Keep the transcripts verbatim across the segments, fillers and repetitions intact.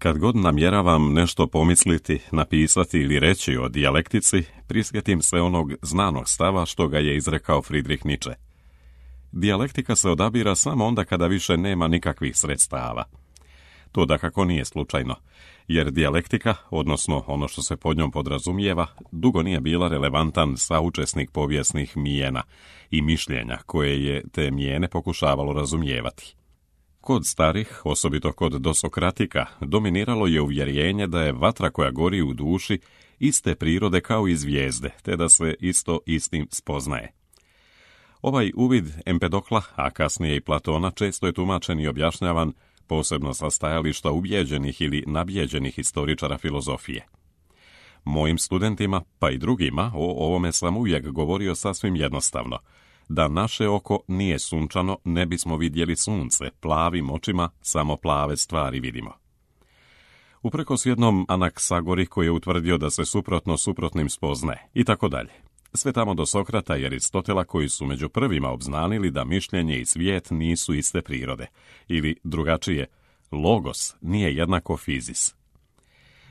Kad god namjeravam nešto pomisliti, napisati ili reći o dijalektici, prisjetim se onog znanog stava što ga je izrekao Friedrich Nietzsche. Dijalektika se odabira samo onda kada više nema nikakvih sredstava. To dakako nije slučajno, jer dijalektika, odnosno ono što se pod njom podrazumijeva, dugo nije bila relevantan saučesnik povijesnih mijena i mišljenja koje je te mijene pokušavalo razumijevati. Kod starih, osobito kod dosokratika, dominiralo je uvjerenje da je vatra koja gori u duši iste prirode kao i zvijezde, te da se isto istim spoznaje. Ovaj uvid Empedokla, a kasnije i Platona, često je tumačen i objašnjavan, posebno sa stajališta ubijeđenih ili nabijeđenih historičara filozofije. Mojim studentima, pa i drugima, o ovome sam uvijek govorio sasvim jednostavno. Da naše oko nije sunčano, ne bismo vidjeli sunce, plavim očima samo plave stvari vidimo. Uprkos jednom Anaksagori koji je utvrdio da se suprotno suprotnim spoznaje, i tako dalje. Sve tamo do Sokrata i Aristotela koji su među prvima obznanili da mišljenje i svijet nisu iste prirode, ili drugačije, logos nije jednako fizis.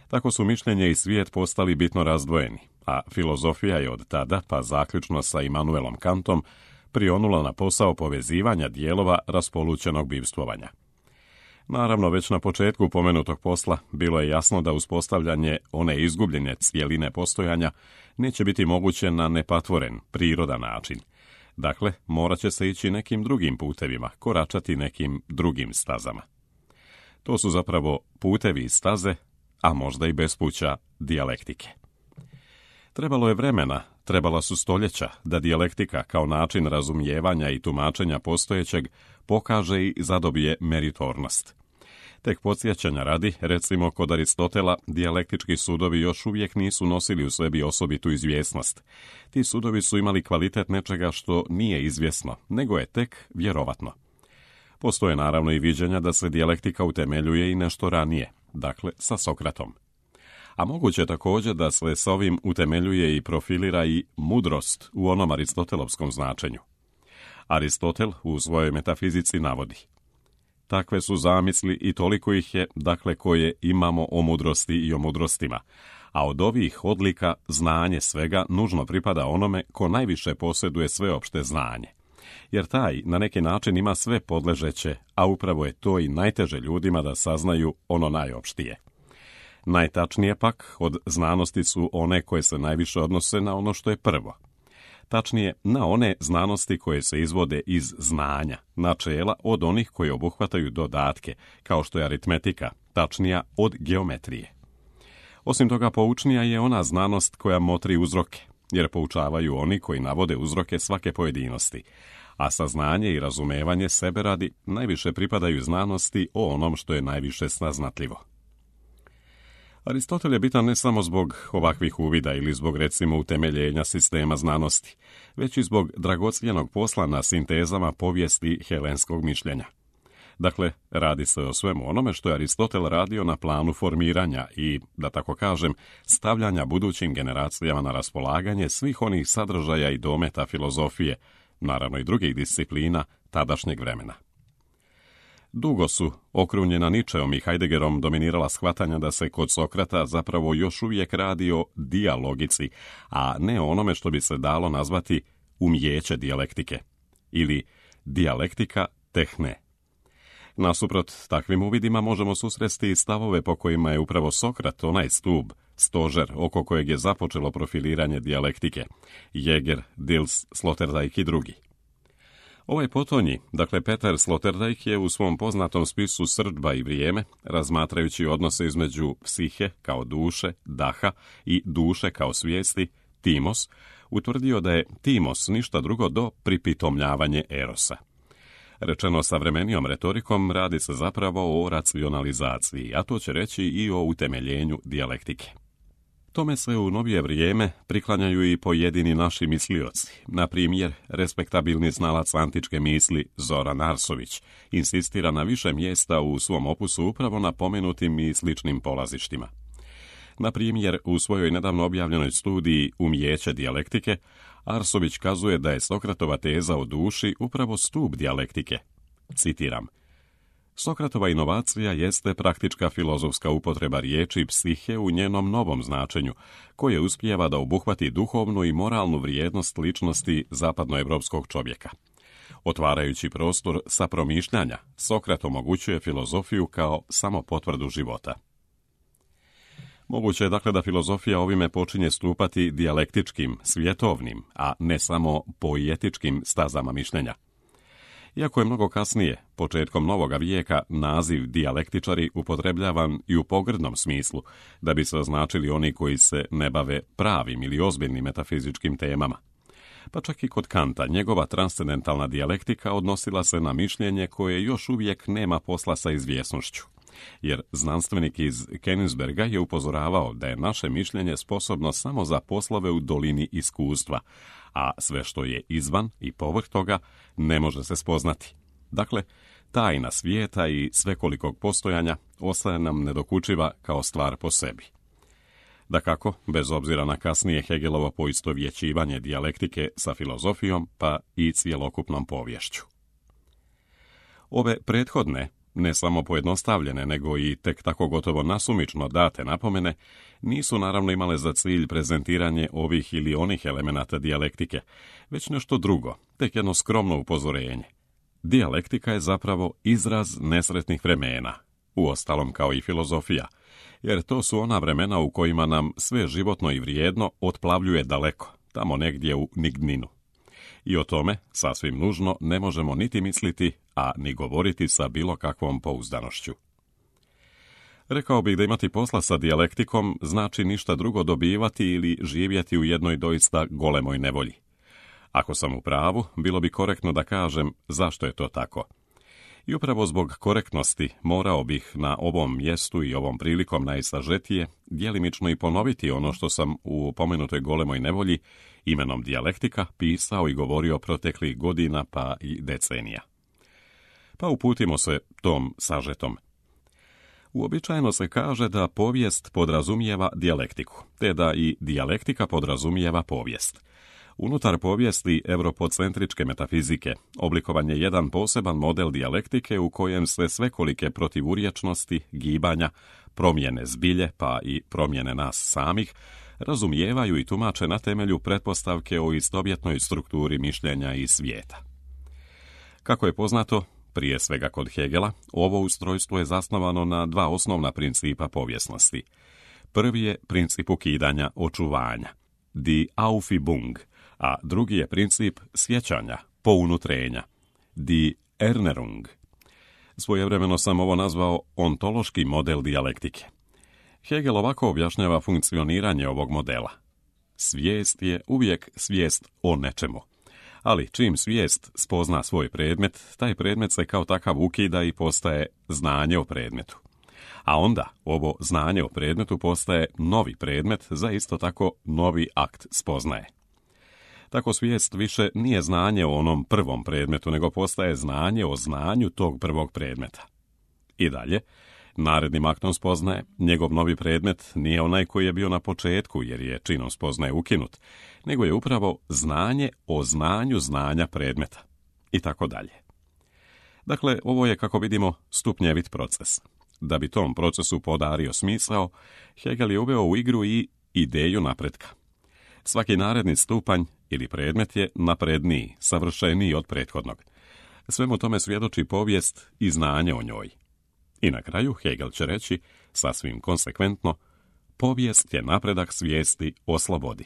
Tako su mišljenje i svijet postali bitno razdvojeni, a filozofija je od tada, pa zaključno sa Immanuelom Kantom, prionula na posao povezivanja dijelova raspolućenog bivstvovanja. Naravno, već na početku pomenutog posla bilo je jasno da uspostavljanje one izgubljene cjeline postojanja neće biti moguće na nepatvoren, prirodan način. Dakle, morat će se ići nekim drugim putevima, koračati nekim drugim stazama. To su zapravo putevi i staze, a možda i bespuća dijalektike. Trebalo je vremena, trebala su stoljeća da dijalektika kao način razumijevanja i tumačenja postojećeg pokaže i zadobije meritornost. Tek podsjećanja radi, recimo kod Aristotela, dijalektički sudovi još uvijek nisu nosili u sebi osobitu izvjesnost. Ti sudovi su imali kvalitet nečega što nije izvjesno, nego je tek vjerovatno. Postoje naravno i viđenja da se dijalektika utemeljuje i nešto ranije, dakle sa Sokratom. A moguće je također da se s ovim utemeljuje i profilira i mudrost u onom aristotelovskom značenju. Aristotel u svojoj metafizici navodi: takve su zamisli i toliko ih je, dakle, koje imamo o mudrosti i o mudrostima, a od ovih odlika znanje svega nužno pripada onome ko najviše posjeduje sveopšte znanje. Jer taj na neki način ima sve podležeće, a upravo je to i najteže ljudima da saznaju ono najopštije. Najtačnije pak od znanosti su one koje se najviše odnose na ono što je prvo. Tačnije, na one znanosti koje se izvode iz znanja, načela od onih koje obuhvataju dodatke, kao što je aritmetika, tačnija od geometrije. Osim toga, poučnija je ona znanost koja motri uzroke, jer poučavaju oni koji navode uzroke svake pojedinosti, a saznanje i razumevanje sebe radi najviše pripadaju znanosti o onom što je najviše saznatljivo. Aristotel je bitan ne samo zbog ovakvih uvida ili zbog recimo utemeljenja sistema znanosti, već i zbog dragocjenog posla na sintezama povijesti helenskog mišljenja. Dakle, radi se o svemu onome što je Aristotel radio na planu formiranja i, da tako kažem, stavljanja budućim generacijama na raspolaganje svih onih sadržaja i dometa filozofije, naravno i drugih disciplina, tadašnjeg vremena. Dugo su, okrunjena Nietzscheom i Heideggerom, dominirala shvatanja da se kod Sokrata zapravo još uvijek radi o dijalogici, a ne o onome što bi se dalo nazvati umijeće dijalektike, ili dijalektika tehne. Nasuprot takvim uvidima možemo susresti i stavove po kojima je upravo Sokrat onaj stup, stožer oko kojeg je započelo profiliranje dijalektike, Jäger, Dils, Sloterdijk i drugi. Ovaj potonji, dakle Peter Sloterdijk, je u svom poznatom spisu Srdba i vrijeme, razmatrajući odnose između psihe kao duše, daha i duše kao svijesti, timos, utvrdio da je timos ništa drugo do pripitomljavanje erosa. Rečeno savremenijom retorikom, radi se zapravo o racionalizaciji, a to će reći i o utemeljenju dijalektike. Tome se u novije vrijeme priklanjaju i pojedini naši mislioci, na primjer, respektabilni znalac antičke misli Zoran Arsović insistira na više mjesta u svom opusu upravo na pomenutim i sličnim polazištima. Na primjer, u svojoj nedavno objavljenoj studiji Umijeće dijalektike, Arsović kazuje da je Sokratova teza o duši upravo stup dijalektike. Citiram: Sokratova inovacija jeste praktička filozofska upotreba riječi psihe u njenom novom značenju, koje uspijeva da obuhvati duhovnu i moralnu vrijednost ličnosti zapadnoevropskog čovjeka. Otvarajući prostor sa promišljanja, Sokrat omogućuje filozofiju kao samo potvrdu života. Moguće je dakle da filozofija ovime počinje stupati dijalektičkim, svjetovnim, a ne samo poetičkim stazama mišljenja. Iako je mnogo kasnije, početkom novoga vijeka, naziv dijalektičari upotrebljavan i u pogrdnom smislu, da bi se označili oni koji se ne bave pravim ili ozbiljnim metafizičkim temama. Pa čak i kod Kanta njegova transcendentalna dijalektika odnosila se na mišljenje koje još uvijek nema posla sa izvjesnošću. Jer znanstvenik iz Königsberga je upozoravao da je naše mišljenje sposobno samo za poslove u dolini iskustva, a sve što je izvan i povrh toga ne može se spoznati. Dakle, tajna svijeta i svekolikog postojanja ostaje nam nedokučiva kao stvar po sebi. Dakako, bez obzira na kasnije Hegelovo poistovjećivanje dijalektike sa filozofijom, pa i cjelokupnom poviješću. Ove prethodne, ne samo pojednostavljene, nego i tek tako gotovo nasumično date napomene, nisu naravno imale za cilj prezentiranje ovih ili onih elemenata dijalektike, već nešto drugo, tek jedno skromno upozorenje. Dijalektika je zapravo izraz nesretnih vremena, uostalom kao i filozofija, jer to su ona vremena u kojima nam sve životno i vrijedno otplavljuje daleko, tamo negdje u nigninu. I o tome, sasvim nužno, ne možemo niti misliti, a ni govoriti sa bilo kakvom pouzdanošću. Rekao bih da imati posla sa dijalektikom znači ništa drugo dobivati ili živjeti u jednoj doista golemoj nevolji. Ako sam u pravu, bilo bi korektno da kažem zašto je to tako. I upravo zbog korektnosti morao bih na ovom mjestu i ovom prilikom najsažetije djelimično i ponoviti ono što sam u pomenutoj golemoj nevolji imenom dijalektika pisao i govorio proteklih godina pa i decenija. Pa uputimo se tom sažetom. Uobičajeno se kaže da povijest podrazumijeva dijalektiku, te da i dijalektika podrazumijeva povijest. Unutar povijesti europocentričke metafizike oblikovan je jedan poseban model dijalektike u kojem se svekolike protivurječnosti, gibanja, promjene zbilje pa i promjene nas samih razumijevaju i tumače na temelju pretpostavke o istovjetnoj strukturi mišljenja i svijeta. Kako je poznato, prije svega kod Hegela, ovo ustrojstvo je zasnovano na dva osnovna principa povijesnosti. Prvi je princip ukidanja očuvanja, die Aufhebung, a drugi je princip sjećanja, pounutrenja, die Erinnerung. Svojevremeno sam ovo nazvao ontološki model dijalektike. Hegel ovako objašnjava funkcioniranje ovog modela. Svijest je uvijek svijest o nečemu. Ali čim svijest spozna svoj predmet, taj predmet se kao takav ukida i postaje znanje o predmetu. A onda ovo znanje o predmetu postaje novi predmet za isto tako novi akt spoznaje. Tako svijest više nije znanje o onom prvom predmetu, nego postaje znanje o znanju tog prvog predmeta. I dalje, narednim aktom spoznaje, njegov novi predmet nije onaj koji je bio na početku, jer je činom spoznaje ukinut, nego je upravo znanje o znanju znanja predmeta. I tako dalje. Dakle, ovo je, kako vidimo, stupnjevit proces. Da bi tom procesu podario smisao, Hegel je uveo u igru i ideju napretka. Svaki naredni stupanj ili predmet je napredniji, savršeniji od prethodnog. Svemu tome svjedoči povijest i znanje o njoj. I na kraju Hegel će reći, sasvim konsekventno, povijest je napredak svijesti o slobodi.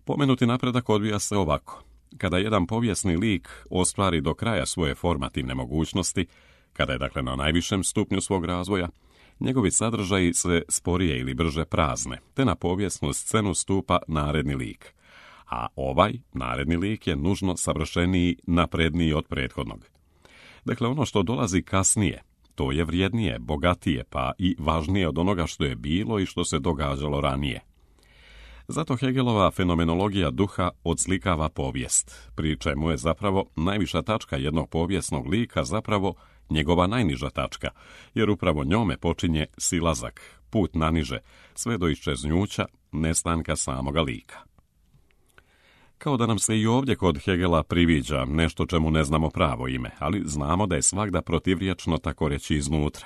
Pomenuti napredak odvija se ovako. Kada jedan povijesni lik ostvari do kraja svoje formativne mogućnosti, kada je dakle na najvišem stupnju svog razvoja, njegovi sadržaji se sporije ili brže prazne, te na povijesnu scenu stupa naredni lik. A ovaj naredni lik je nužno savršeniji, napredniji od prethodnog. Dakle, ono što dolazi kasnije, to je vrijednije, bogatije, pa i važnije od onoga što je bilo i što se događalo ranije. Zato Hegelova fenomenologija duha odslikava povijest, pri čemu je zapravo najviša tačka jednog povijesnog lika zapravo njegova najniža tačka, jer upravo njome počinje silazak, put naniže, sve do iščeznuća, nestanka samoga lika. Kao da nam se i ovdje kod Hegela priviđa nešto čemu ne znamo pravo ime, ali znamo da je svagda protivriječno tako reći iznutra.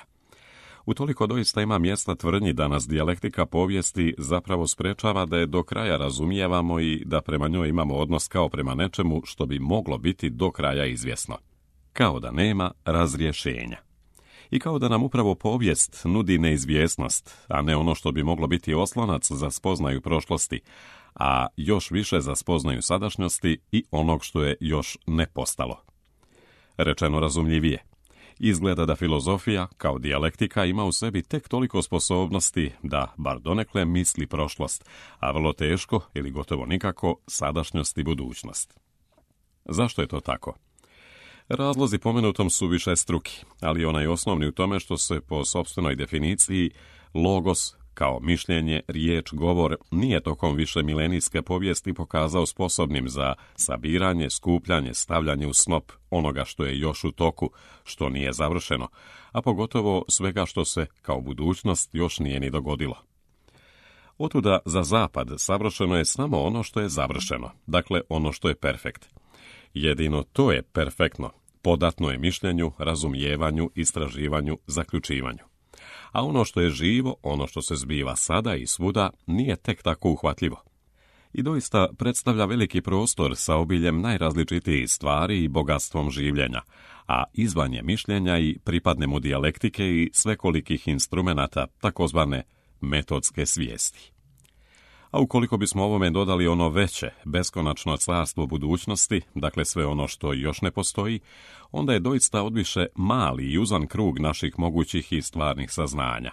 Utoliko doista ima mjesta tvrdnji da nas dijalektika povijesti zapravo sprečava da je do kraja razumijevamo i da prema njoj imamo odnos kao prema nečemu što bi moglo biti do kraja izvjesno. Kao da nema razrješenja. I kao da nam upravo povijest nudi neizvjesnost, a ne ono što bi moglo biti oslonac za spoznaju prošlosti, a još više za spoznaju sadašnjosti i onog što je još ne postalo. Rečeno razumljivije, izgleda da filozofija, kao dijalektika, ima u sebi tek toliko sposobnosti da, bar donekle, misli prošlost, a vrlo teško ili gotovo nikako sadašnjost i budućnost. Zašto je to tako? Razlozi pomenutom su višestruki, ali onaj osnovni u tome što se po sopstvenoj definiciji logos, kao mišljenje, riječ, govor, nije tokom više milenijske povijesti pokazao sposobnim za sabiranje, skupljanje, stavljanje u snop onoga što je još u toku, što nije završeno, a pogotovo svega što se, kao budućnost, još nije ni dogodilo. Otuda za zapad savršeno je samo ono što je završeno, dakle ono što je perfekt. Jedino to je perfektno, podatno je mišljenju, razumijevanju, istraživanju, zaključivanju. A ono što je živo, ono što se zbiva sada i svuda, nije tek tako uhvatljivo. I doista predstavlja veliki prostor sa obiljem najrazličitijih stvari i bogatstvom življenja, a izvan je mišljenja i pripadne mu dijalektike i svekolikih instrumenata, takozvane metodske svijesti. A ukoliko bismo ovome dodali ono veće, beskonačno carstvo budućnosti, dakle sve ono što još ne postoji, onda je doista odviše mali i uzan krug naših mogućih i stvarnih saznanja.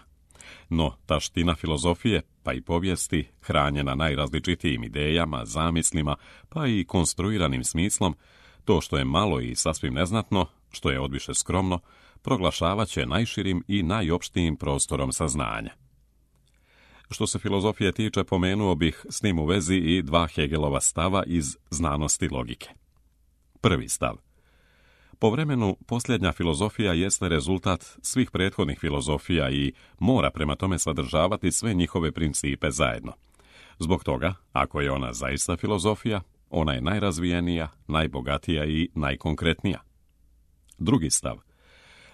No, taština filozofije, pa i povijesti, hranjena najrazličitijim idejama, zamislima, pa i konstruiranim smislom, to što je malo i sasvim neznatno, što je odviše skromno, proglašavat će najširim i najopštijim prostorom saznanja. Što se filozofije tiče, pomenuo bih s tim u vezi i dva Hegelova stava iz znanosti logike. Prvi stav. Po vremenu, posljednja filozofija jeste rezultat svih prethodnih filozofija i mora prema tome sadržavati sve njihove principe zajedno. Zbog toga, ako je ona zaista filozofija, ona je najrazvijenija, najbogatija i najkonkretnija. Drugi stav.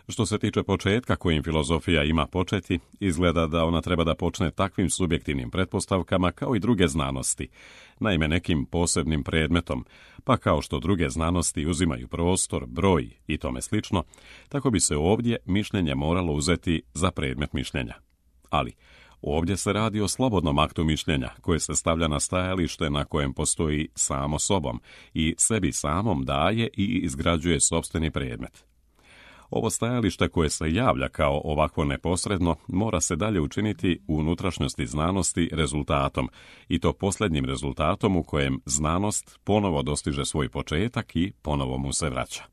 Što se tiče početka kojim filozofija ima početi, izgleda da ona treba da počne takvim subjektivnim pretpostavkama kao i druge znanosti, naime nekim posebnim predmetom, pa kao što druge znanosti uzimaju prostor, broj i tome slično, tako bi se ovdje mišljenje moralo uzeti za predmet mišljenja. Ali ovdje se radi o slobodnom aktu mišljenja koje se stavlja na stajalište na kojem postoji samo sobom i sebi samom daje i izgrađuje sopstveni predmet. Ovo stajalište koje se javlja kao ovakvo neposredno mora se dalje učiniti u unutrašnjosti znanosti rezultatom, i to posljednjim rezultatom u kojem znanost ponovo dostiže svoj početak i ponovo mu se vraća.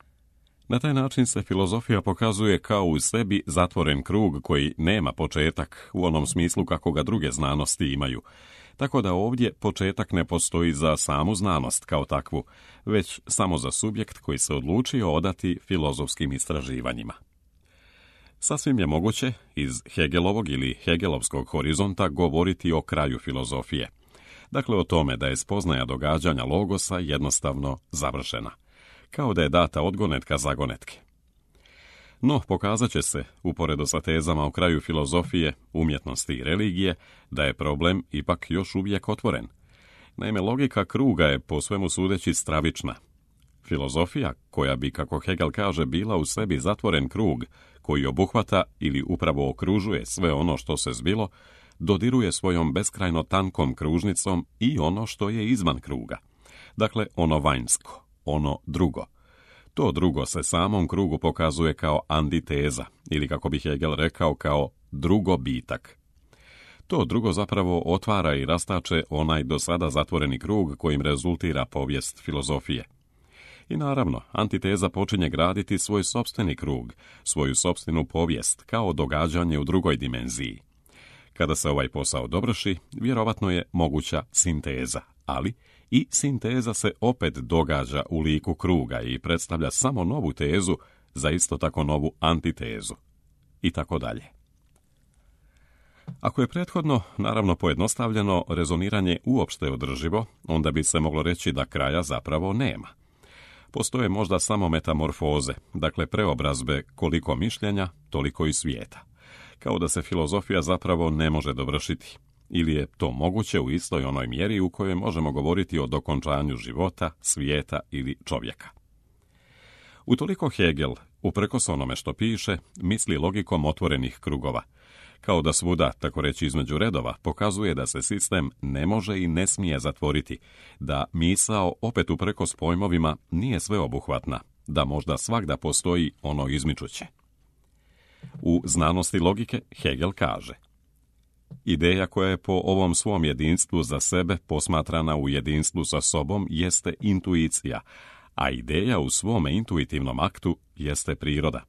Na taj način se filozofija pokazuje kao u sebi zatvoren krug koji nema početak u onom smislu kako ga druge znanosti imaju, tako da ovdje početak ne postoji za samu znanost kao takvu, već samo za subjekt koji se odlučio odati filozofskim istraživanjima. Sasvim je moguće iz Hegelovog ili Hegelovskog horizonta govoriti o kraju filozofije. Dakle, o tome da je spoznaja događanja logosa jednostavno završena, kao da je data odgonetka zagonetke. No, pokazat će se, uporedo sa tezama o kraju filozofije, umjetnosti i religije, da je problem ipak još uvijek otvoren. Naime, logika kruga je po svemu sudeći stravična. Filozofija, koja bi, kako Hegel kaže, bila u sebi zatvoren krug, koji obuhvata ili upravo okružuje sve ono što se zbilo, dodiruje svojom beskrajno tankom kružnicom i ono što je izvan kruga. Dakle, ono vanjsko, ono drugo. To drugo se samom krugu pokazuje kao antiteza, ili kako bi Hegel rekao, kao drugo bitak. To drugo zapravo otvara i rastače onaj do sada zatvoreni krug kojim rezultira povijest filozofije. I naravno, antiteza počinje graditi svoj sopstveni krug, svoju sopstvenu povijest, kao događanje u drugoj dimenziji. Kada se ovaj posao dovrši, vjerovatno je moguća sinteza, ali i sinteza se opet događa u liku kruga i predstavlja samo novu tezu za isto tako novu antitezu. I tako dalje. Ako je prethodno, naravno pojednostavljeno, rezoniranje uopšte održivo, onda bi se moglo reći da kraja zapravo nema. Postoje možda samo metamorfoze, dakle preobrazbe koliko mišljenja, toliko i svijeta. Kao da se filozofija zapravo ne može dovršiti. Ili je to moguće u istoj onoj mjeri u kojoj možemo govoriti o dokončanju života, svijeta ili čovjeka. Utoliko Hegel, uprkos onome što piše, misli logikom otvorenih krugova. Kao da svuda, tako reći između redova, pokazuje da se sistem ne može i ne smije zatvoriti, da misao opet uprkos pojmovima nije sveobuhvatna, da možda svagda postoji ono izmičuće. U znanosti logike Hegel kaže: ideja koja je po ovom svom jedinstvu za sebe posmatrana u jedinstvu sa sobom jeste intuicija, a ideja u svome intuitivnom aktu jeste priroda.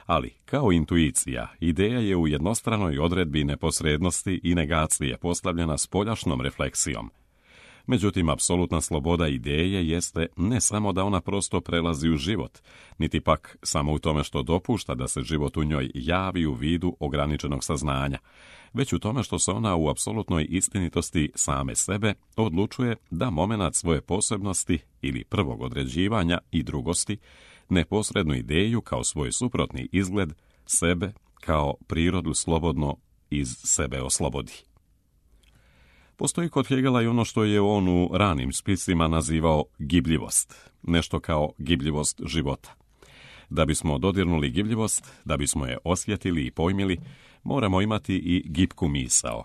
Ali, kao intuicija, ideja je u jednostranoj odredbi neposrednosti i negacije postavljena spoljašnom refleksijom. Međutim, apsolutna sloboda ideje jeste ne samo da ona prosto prelazi u život, niti pak samo u tome što dopušta da se život u njoj javi u vidu ograničenog saznanja, već u tome što se ona u apsolutnoj istinitosti same sebe odlučuje da momenat svoje posebnosti ili prvog određivanja i drugosti, neposrednu ideju kao svoj suprotni izgled, sebe kao prirodu slobodno iz sebe oslobodi. Postoji kod Hegela i ono što je on u ranim spisima nazivao gibljivost, nešto kao gibljivost života. Da bismo dodirnuli gibljivost, da bismo je osjetili i pojmili, moramo imati i gibku misao.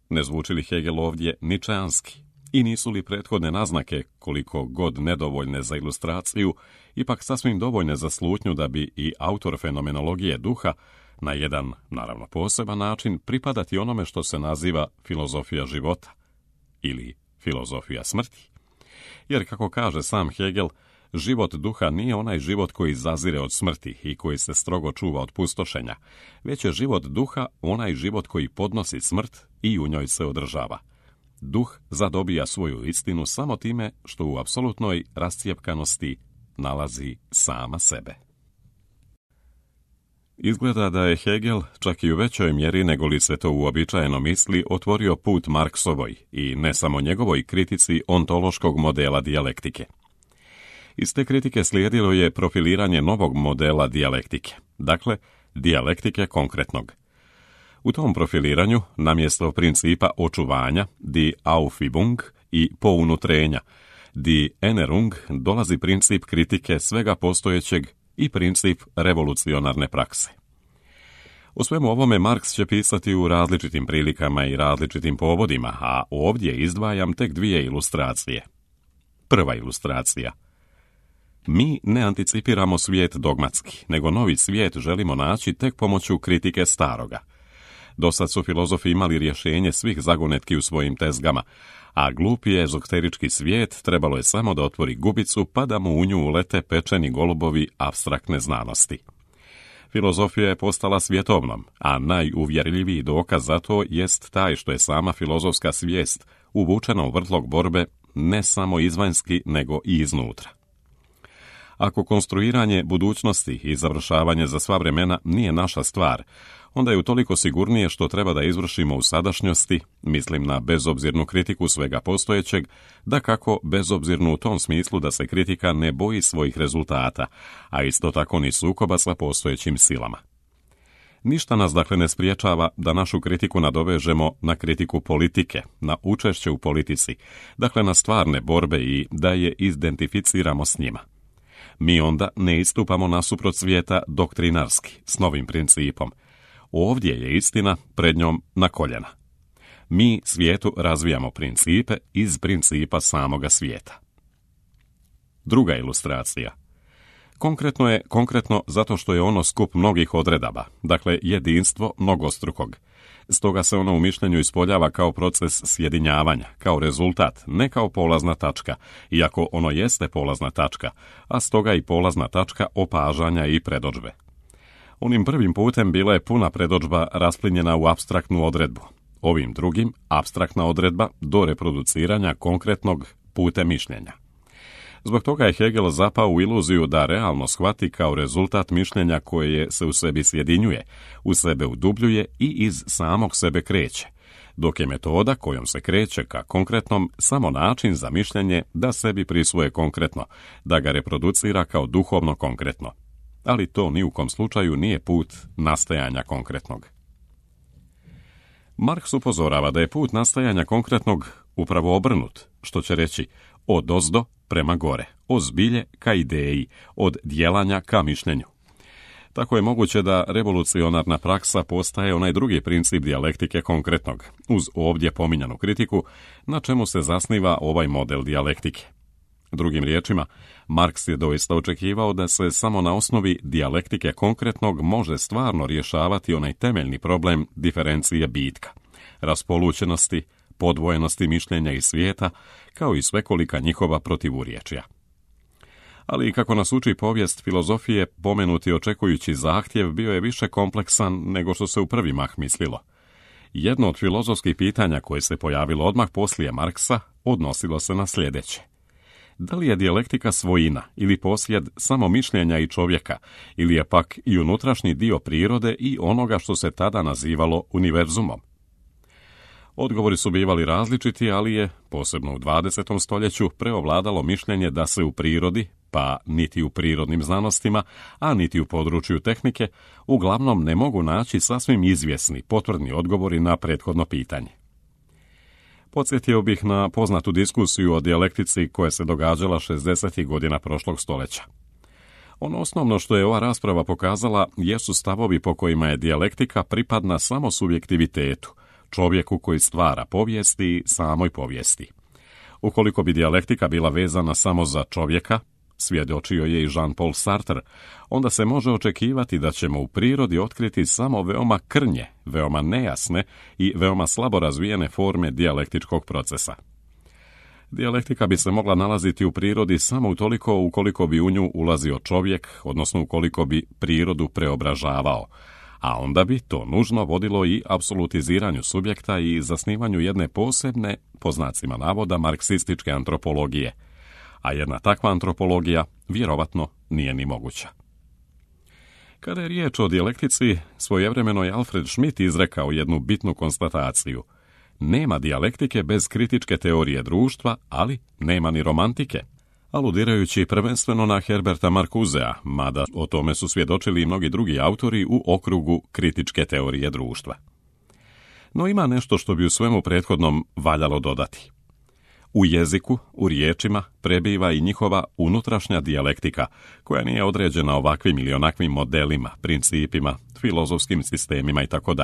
Ne zvuči li Hegel ovdje ničeanski? I nisu li prethodne naznake, koliko god nedovoljne za ilustraciju, ipak sasvim dovoljne za slutnju da bi i autor fenomenologije duha na jedan, naravno poseban način, pripadati onome što se naziva filozofija života ili filozofija smrti? Jer, kako kaže sam Hegel, život duha nije onaj život koji zazire od smrti i koji se strogo čuva od pustošenja, već je život duha onaj život koji podnosi smrt i u njoj se održava. Duh zadobija svoju istinu samo time što u apsolutnoj rascijepkanosti nalazi sama sebe. Izgleda da je Hegel, čak i u većoj mjeri nego li se to uobičajeno misli, otvorio put Marksovoj i ne samo njegovoj kritici ontološkog modela dijalektike. Iz te kritike slijedilo je profiliranje novog modela dijalektike, dakle, dijalektike konkretnog. U tom profiliranju, namjesto principa očuvanja, die Aufübung i pounutrenja, die Erinnerung, dolazi princip kritike svega postojećeg i princip revolucionarne prakse. O svemu ovome Marks će pisati u različitim prilikama i različitim povodima, a ovdje izdvajam tek dvije ilustracije. Prva ilustracija. Mi ne anticipiramo svijet dogmatski, nego novi svijet želimo naći tek pomoću kritike staroga. Dosad su filozofi imali rješenje svih zagonetki u svojim tezgama, a glupi ezoterički svijet trebalo je samo da otvori gubicu pa da mu u nju ulete pečeni golubovi apstraktne znanosti. Filozofija je postala svjetovnom, a najuvjerljiviji dokaz za to jest taj što je sama filozofska svijest uvučena u vrtlog borbe ne samo izvanjski nego i iznutra. Ako konstruiranje budućnosti i završavanje za sva vremena nije naša stvar, onda je utoliko sigurnije što treba da izvršimo u sadašnjosti, mislim na bezobzirnu kritiku svega postojećeg, da kako bezobzirnu u tom smislu da se kritika ne boji svojih rezultata, a isto tako ni sukoba sa postojećim silama. Ništa nas dakle ne spriječava da našu kritiku nadovežemo na kritiku politike, na učešće u politici, dakle na stvarne borbe i da je identificiramo s njima. Mi onda ne istupamo nasuprot svijeta doktrinarski, s novim principom. Ovdje je istina, pred njom na koljena. Mi svijetu razvijamo principe iz principa samoga svijeta. Druga ilustracija. Konkretno je konkretno zato što je ono skup mnogih odredaba, dakle jedinstvo mnogostrukog. Stoga se ono u mišljenju ispoljava kao proces sjedinjavanja, kao rezultat, ne kao polazna tačka, iako ono jeste polazna tačka, a stoga i polazna tačka opažanja i predodžbe. Onim prvim putem bila je puna predodžba rasplinjena u apstraktnu odredbu. Ovim drugim, apstraktna odredba do reproduciranja konkretnog putem mišljenja. Zbog toga je Hegel zapao u iluziju da realno shvati kao rezultat mišljenja koje se u sebi sjedinjuje, u sebe udubljuje i iz samog sebe kreće, dok je metoda kojom se kreće ka konkretnom samo način za mišljenje da sebi prisvoje konkretno, da ga reproducira kao duhovno konkretno. Ali to ni u kom slučaju nije put nastajanja konkretnog. Marx upozorava da je put nastajanja konkretnog upravo obrnut, što će reći od ozdo prema gore, od zbilje ka ideji, od djelanja ka mišljenju. Tako je moguće da revolucionarna praksa postaje onaj drugi princip dijalektike konkretnog, uz ovdje pominjanu kritiku, na čemu se zasniva ovaj model dijalektike. Drugim riječima, Marx je doista očekivao da se samo na osnovi dijalektike konkretnog može stvarno rješavati onaj temeljni problem diferencije bitka, raspolućenosti, podvojenosti mišljenja i svijeta, kao i svekolika njihova protivurječja. Ali, kako nas uči povijest filozofije, pomenuti očekujući zahtjev bio je više kompleksan nego što se u prvi mah mislilo. Jedno od filozofskih pitanja koje se pojavilo odmah poslije Marksa odnosilo se na sljedeće. Da li je dijalektika svojina ili posjed samo mišljenja i čovjeka, ili je pak i unutrašnji dio prirode i onoga što se tada nazivalo univerzumom? Odgovori su bivali različiti, ali je, posebno u dvadesetom stoljeću, preovladalo mišljenje da se u prirodi, pa niti u prirodnim znanostima, a niti u području tehnike, uglavnom ne mogu naći sasvim izvjesni, potvrdni odgovori na prethodno pitanje. Podsjetio bih na poznatu diskusiju o dijalektici koja se događala šezdesetih godina prošlog stoljeća. Ono osnovno što je ova rasprava pokazala jesu stavovi po kojima je dijalektika pripadna samo subjektivitetu, čovjeku koji stvara povijesti i samoj povijesti. Ukoliko bi dijalektika bila vezana samo za čovjeka, svjedočio je i Jean-Paul Sartre, onda se može očekivati da ćemo u prirodi otkriti samo veoma krnje, veoma nejasne i veoma slabo razvijene forme dijalektičkog procesa. Dijalektika bi se mogla nalaziti u prirodi samo utoliko ukoliko bi u nju ulazio čovjek, odnosno ukoliko bi prirodu preobražavao, a onda bi to nužno vodilo i apsolutiziranju subjekta i zasnivanju jedne posebne, po znacima navoda, marksističke antropologije, a jedna takva antropologija vjerovatno nije ni moguća. Kada je riječ o dijalektici, svojevremeno je Alfred Schmitt izrekao jednu bitnu konstataciju. Nema dijalektike bez kritičke teorije društva, ali nema ni romantike, aludirajući prvenstveno na Herberta Marcusea, mada o tome su svjedočili i mnogi drugi autori u okrugu kritičke teorije društva. No ima nešto što bi u svemu prethodnom valjalo dodati. U jeziku, u riječima, prebiva i njihova unutrašnja dijalektika, koja nije određena ovakvim ili onakvim modelima, principima, filozofskim sistemima itd.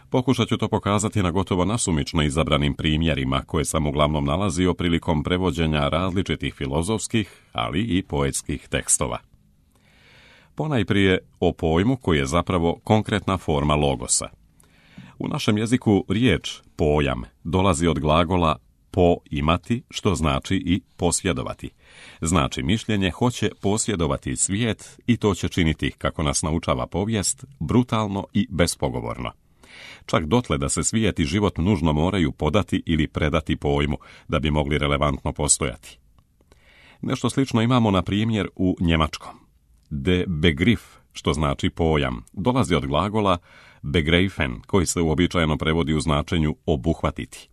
Pokušat ću to pokazati na gotovo nasumično izabranim primjerima koje sam uglavnom nalazio prilikom prevođenja različitih filozofskih, ali i poetskih tekstova. Ponajprije o pojmu koji je zapravo konkretna forma logosa. U našem jeziku riječ pojam dolazi od glagola poimati, što znači i posjedovati. Znači mišljenje hoće posjedovati svijet i to će činiti, kako nas naučava povijest, brutalno i bespogovorno. Čak dotle da se svijet i život nužno moraju podati ili predati pojmu da bi mogli relevantno postojati. Nešto slično imamo na primjer u njemačkom. De Begriff, što znači pojam, dolazi od glagola begreifen, koji se uobičajeno prevodi u značenju obuhvatiti.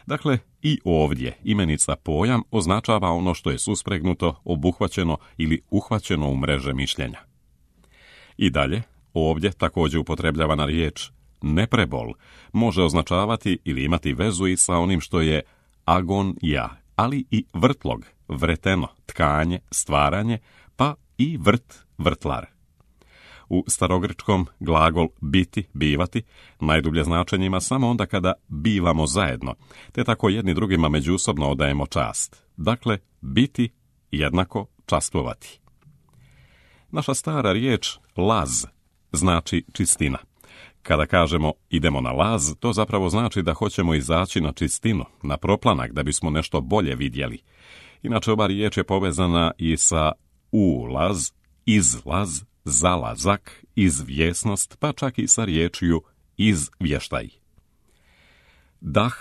Dakle, i ovdje imenica pojam označava ono što je suspregnuto, obuhvaćeno ili uhvaćeno u mreže mišljenja. I dalje, ovdje također upotrebljavana riječ neprebol može označavati ili imati vezu i sa onim što je agonija, ali i vrtlog, vreteno, tkanje, stvaranje, pa i vrt, vrtlar. U starogrčkom glagol biti, bivati, najdublje značenje ima samo onda kada bivamo zajedno, te tako jedni drugima međusobno odajemo čast. Dakle, biti jednako častvovati. Naša stara riječ laz znači čistina. Kada kažemo idemo na laz, to zapravo znači da hoćemo izaći na čistinu, na proplanak da bismo nešto bolje vidjeli. Inače, ova riječ je povezana i sa ulaz, izlaz, zalazak, izvjesnost, pa čak i sa riječju izvještaj. Dah,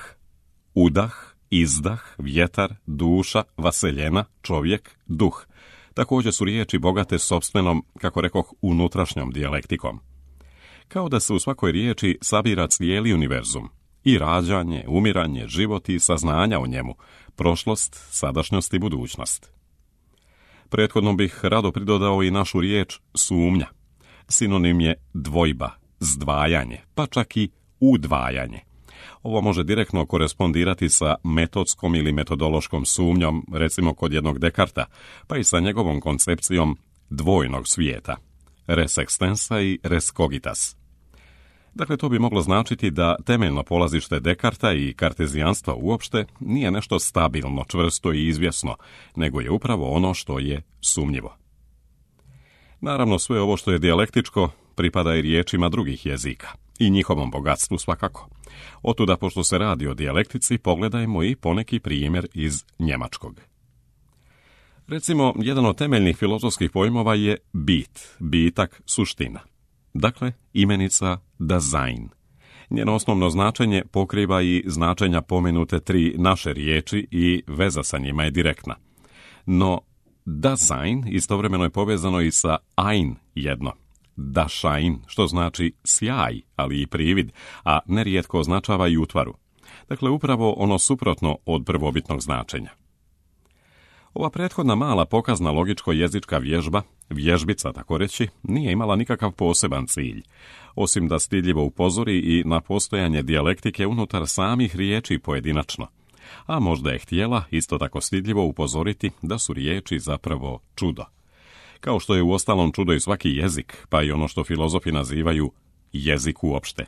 udah, izdah, vjetar, duša, vaseljena, čovjek, duh. Također su riječi bogate sopstvenom, kako rekoh, unutrašnjom dijalektikom. Kao da se u svakoj riječi sabira cijeli univerzum. I rađanje, umiranje, život i saznanja o njemu, prošlost, sadašnjost i budućnost. Prethodno bih rado pridodao i našu riječ sumnja. Sinonim je dvojba, zdvajanje, pa čak i udvajanje. Ovo može direktno korespondirati sa metodskom ili metodološkom sumnjom, recimo kod jednog Dekarta, pa i sa njegovom koncepcijom dvojnog svijeta, res extensa i res cogitas. Dakle, to bi moglo značiti da temeljno polazište Dekarta i kartezijanstva uopšte nije nešto stabilno, čvrsto i izvjesno, nego je upravo ono što je sumnjivo. Naravno, sve ovo što je dijalektičko pripada i riječima drugih jezika, i njihovom bogatstvu svakako. Otuda, pošto se radi o dijalektici, pogledajmo i poneki primjer iz njemačkog. Recimo, jedan od temeljnih filozofskih pojmova je bit, bitak, suština. Dakle, imenica Dasein. Njeno osnovno značenje pokriva i značenja pomenute tri naše riječi i veza sa njima je direktna. No, Dasein istovremeno je povezano i sa ein jedno. Dasein, što znači sjaj, ali i privid, a nerijetko označava i utvaru. Dakle, upravo ono suprotno od prvobitnog značenja. Ova prethodna mala pokazna logičko-jezička vježba, vježbica tako reći, nije imala nikakav poseban cilj, osim da stidljivo upozori i na postojanje dijalektike unutar samih riječi pojedinačno. A možda je htjela isto tako stidljivo upozoriti da su riječi zapravo čudo. Kao što je uostalom čudo i svaki jezik, pa i ono što filozofi nazivaju jezik uopšte.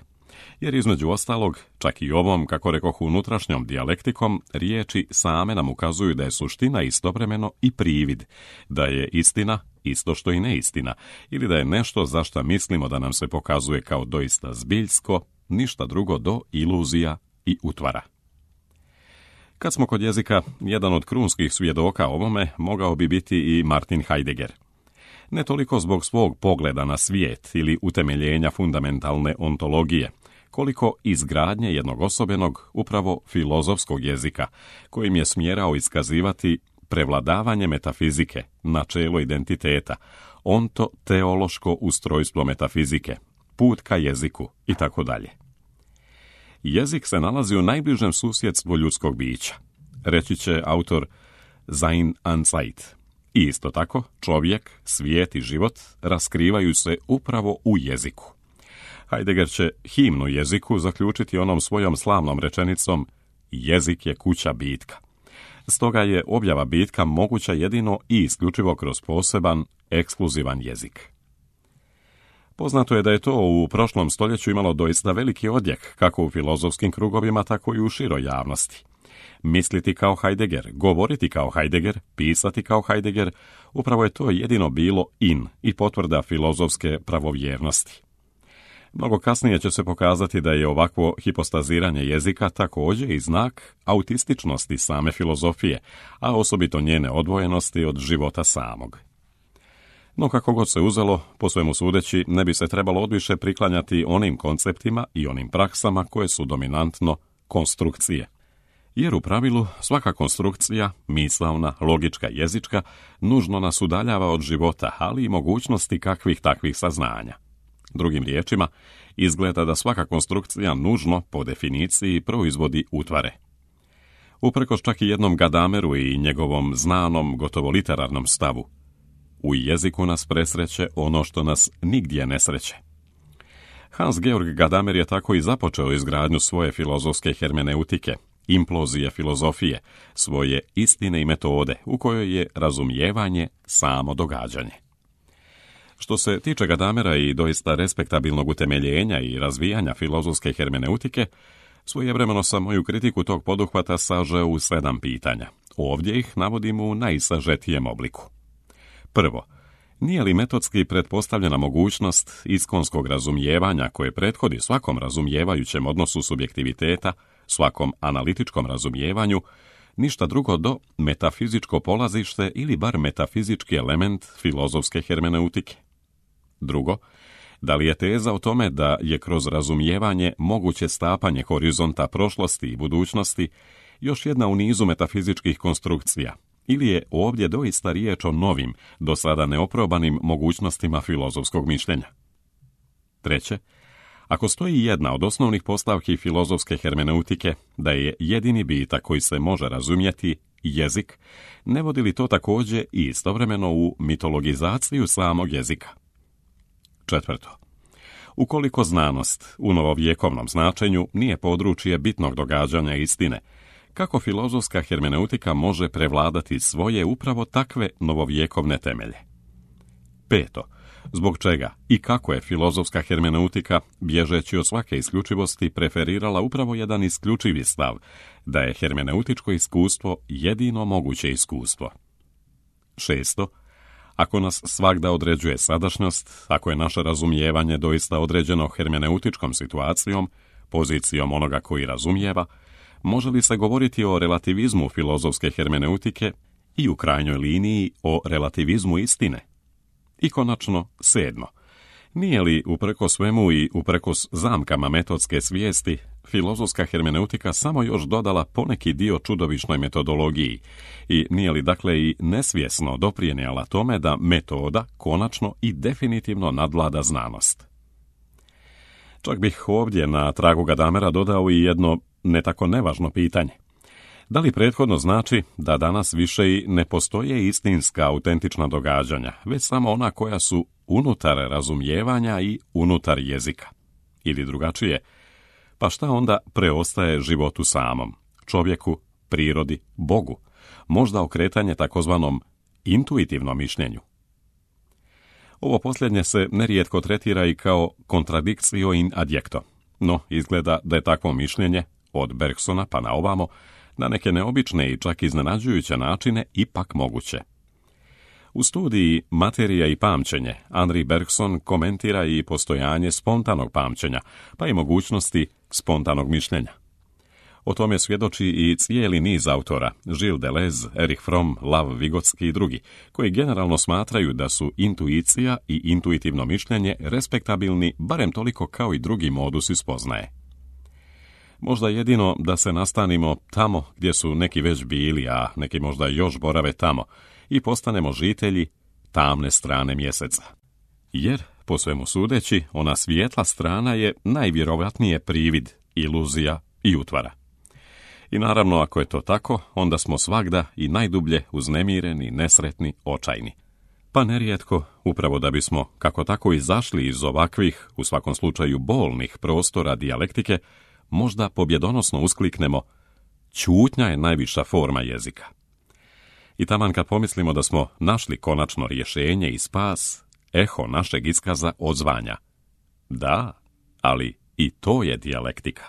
Jer između ostalog, čak i ovom, kako rekoh, unutrašnjom dijalektikom, riječi same nam ukazuju da je suština istovremeno i privid, da je istina isto što i neistina, ili da je nešto za šta mislimo da nam se pokazuje kao doista zbiljsko, ništa drugo do iluzija i utvara. Kad smo kod jezika, jedan od krunskih svjedoka ovome mogao bi biti i Martin Heidegger. Ne toliko zbog svog pogleda na svijet ili utemeljenja fundamentalne ontologije, koliko izgradnje jednog osobenog, upravo filozofskog jezika, kojim je smjerao iskazivati prevladavanje metafizike, načelo identiteta, onto-teološko ustrojstvo metafizike, put ka jeziku i tako dalje. Jezik se nalazi u najbližem susjedstvu ljudskog bića, reći će autor Sein und Zeit. I isto tako, čovjek, svijet i život raskrivaju se upravo u jeziku. Heidegger će himnu jeziku zaključiti onom svojom slavnom rečenicom jezik je kuća bitka. Stoga je objava bitka moguća jedino i isključivo kroz poseban, ekskluzivan jezik. Poznato je da je to u prošlom stoljeću imalo doista veliki odjek, kako u filozofskim krugovima, tako i u široj javnosti. Misliti kao Heidegger, govoriti kao Heidegger, pisati kao Heidegger, upravo je to jedino bilo in i potvrda filozofske pravovjernosti. Mnogo kasnije će se pokazati da je ovakvo hipostaziranje jezika također i znak autističnosti same filozofije, a osobito njene odvojenosti od života samog. No kako god se uzelo, po svemu sudeći, ne bi se trebalo odviše priklanjati onim konceptima i onim praksama koje su dominantno konstrukcije. Jer u pravilu svaka konstrukcija, misaona, logička, jezička, nužno nas udaljava od života, ali i mogućnosti kakvih takvih saznanja. Drugim riječima, izgleda da svaka konstrukcija nužno, po definiciji, proizvodi utvare. Uprkos čak i jednom Gadameru i njegovom znanom, gotovo literarnom stavu, u jeziku nas presreće ono što nas nigdje ne sreće. Hans Georg Gadamer je tako i započeo izgradnju svoje filozofske hermeneutike, implozije filozofije, svoje istine i metode, u kojoj je razumijevanje samo događanje. Što se tiče Gadamera i doista respektabilnog utemeljenja i razvijanja filozofske hermeneutike, svojevremeno sam moju kritiku tog poduhvata sažeo u sedam pitanja. Ovdje ih navodim u najsažetijem obliku. Prvo, nije li metodski pretpostavljena mogućnost iskonskog razumijevanja koje prethodi svakom razumijevajućem odnosu subjektiviteta, svakom analitičkom razumijevanju, ništa drugo do metafizičko polazište ili bar metafizički element filozofske hermeneutike? Drugo, da li je teza o tome da je kroz razumijevanje moguće stapanje horizonta prošlosti i budućnosti još jedna u nizu metafizičkih konstrukcija, ili je ovdje doista riječ o novim, do sada neoprobanim mogućnostima filozofskog mišljenja? Treće, ako stoji jedna od osnovnih postavki filozofske hermeneutike, da je jedini bitak koji se može razumjeti jezik, ne vodi li to također i istovremeno u mitologizaciju samog jezika? Četvrto, ukoliko znanost u novovjekovnom značenju nije područje bitnog događanja istine, kako filozofska hermeneutika može prevladati svoje upravo takve novovjekovne temelje? Peto, zbog čega i kako je filozofska hermeneutika, bježeći od svake isključivosti, preferirala upravo jedan isključivi stav, da je hermeneutičko iskustvo jedino moguće iskustvo? Šesto, ako nas svagda određuje sadašnjost, ako je naše razumijevanje doista određeno hermeneutičkom situacijom, pozicijom onoga koji razumijeva, može li se govoriti o relativizmu filozofske hermeneutike i u krajnjoj liniji o relativizmu istine? I konačno, sedmo, nije li upreko svemu i uprkos zamkama metodske svijesti filozofska hermeneutika samo još dodala poneki dio čudovišnoj metodologiji i nije li dakle i nesvjesno doprinijela tome da metoda konačno i definitivno nadvlada znanost? Čak bih ovdje na tragu Gadamera dodao i jedno ne tako nevažno pitanje. Da li prethodno znači da danas više i ne postoje istinska, autentična događanja, već samo ona koja su unutar razumijevanja i unutar jezika? Ili drugačije, pa šta onda preostaje životu samom, čovjeku, prirodi, Bogu? Možda okretanje takozvanom intuitivnom mišljenju? Ovo posljednje se nerijetko tretira i kao contradictio in adjecto, no izgleda da je takvo mišljenje, od Bergsona pa na ovamo, na neke neobične i čak iznenađujuće načine ipak moguće. U studiji Materija i pamćenje Henri Bergson komentira i postojanje spontanog pamćenja, pa i mogućnosti spontanog mišljenja. O tome svjedoči i cijeli niz autora, Gilles Deleuze, Erich Fromm, Lav Vigotski i drugi, koji generalno smatraju da su intuicija i intuitivno mišljenje respektabilni barem toliko kao i drugi modusi spoznaje. Možda jedino da se nastanimo tamo gdje su neki već bili, a neki možda još borave tamo, i postanemo žitelji tamne strane mjeseca. Jer, po svemu sudeći, ona svijetla strana je najvjerovatnije privid, iluzija i utvara. I naravno, ako je to tako, onda smo svagda i najdublje uznemireni, nesretni, očajni. Pa nerijetko, upravo da bismo kako tako izašli iz ovakvih, u svakom slučaju bolnih prostora dijalektike, možda pobjedonosno uskliknemo: ćutnja je najviša forma jezika. I taman kad pomislimo da smo našli konačno rješenje i spas, eho našeg iskaza odzvanja: da, ali i to je dijalektika.